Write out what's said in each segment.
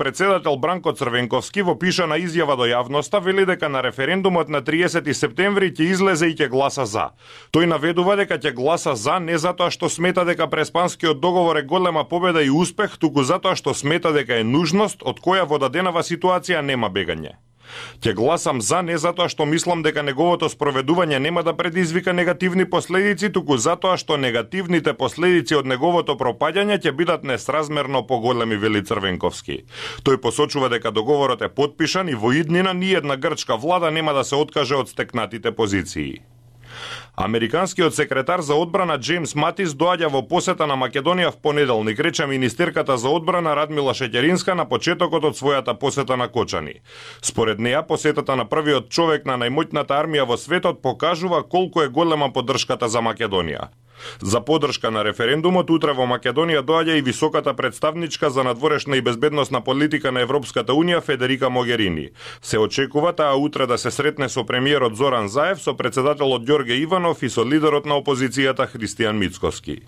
председател Бранко Црвенковски во пишана изјава до јавноста вели дека на референдумот на 30 септември ќе излезе и ќе гласа за. Тој наведува дека ќе гласа за не затоа што смета дека Преспанскиот договор е голема победа и успех, туку затоа што смета дека е нужност од која во даденава ситуација нема бегање. Ќе гласам за не затоа што мислам дека неговото спроведување нема да предизвика негативни последици, туку затоа што негативните последици од неговото пропаѓање ќе бидат несразмерно поголеми, вели Црвенковски. Тој посочува дека договорот е потпишан и во иднина ниедна грчка влада нема да се откаже од стекнатите позиции. Американскиот секретар за одбрана Джеймс Матис доаѓа во посета на Македонија в понеделник, рече министерката за одбрана Радмила Шеќеринска на почетокот од својата посета на Кочани. Според неа, посетата на првиот човек на најмоќната армија во светот покажува колку е голема поддршката за Македонија. За поддршка на референдумот утре во Македонија доаѓа и високата представничка за надворешна и безбедносна политика на Европската унија Федерика Могерини. Се очекува таа утре да се сретне со премиерот Зоран Заев, со председателот Ѓорге Иванов и со лидерот на опозицијата Христијан Мицкоски.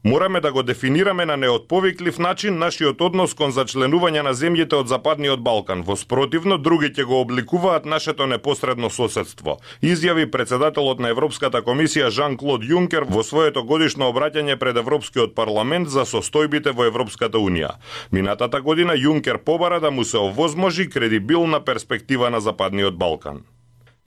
Мораме да го дефинираме на неотповиклив начин нашиот однос кон зачленување на земјите од Западниот Балкан. Во спротивно, други ќе го обликуваат нашето непосредно соседство, изјави председателот на Европската комисија Жан-Клод Јункер во своето годишно обраќање пред Европскиот парламент за состојбите во Европската унија. Минатата година Јункер побара да му се овозможи кредибилна перспектива на Западниот Балкан.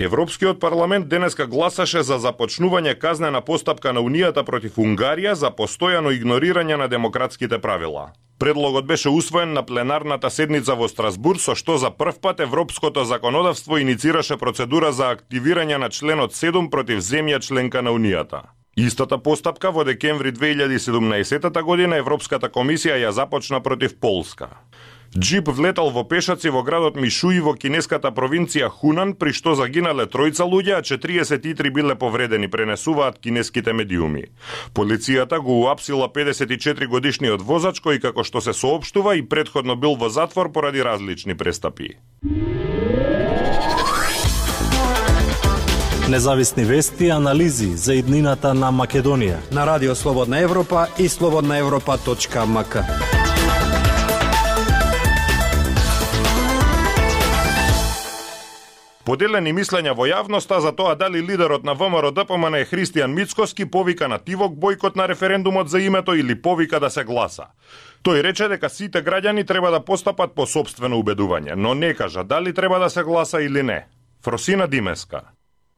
Европскиот парламент денеска гласаше за започнување казнена постапка на Унијата против Унгарија за постојано игнорирање на демократските правила. Предлогот беше усвоен на пленарната седница во Страсбург, со што за прв пат европското законодавство иницираше процедура за активирање на членот 7 против земја членка на Унијата. Истата постапка во декември 2017 година Европската комисија ја започна против Полска. Джип влетал во пешаци во градот Мишуи во кинеската провинција Хунан, при што загинале 3 луѓе, а 43 биле повредени, пренесуваат кинеските медиуми. Полицијата го уапсила 54 годишниот возач кој, како што се соопштува, и претходно бил во затвор поради различни престапи. Независни вести и анализи за иднината на Македонија на Радио Слободна Европа и slobodnaevropa.mk. Поделени мислења во јавноста за тоа дали лидерот на ВМРО-ДПМН Христијан Мицкоски повика на тивок бојкот на референдумот за името или повика да се гласа. Тој рече дека сите граѓани треба да постапат по сопствено убедување, но не кажа дали треба да се гласа или не. Фросина Димеска.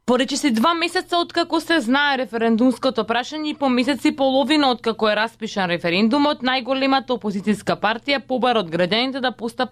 Поречиси 2 месеца откако се знае референдумското прашање и по месец и половина откако е распишан референдумот, најголемата опозицијска партија побара од граѓаните да постапат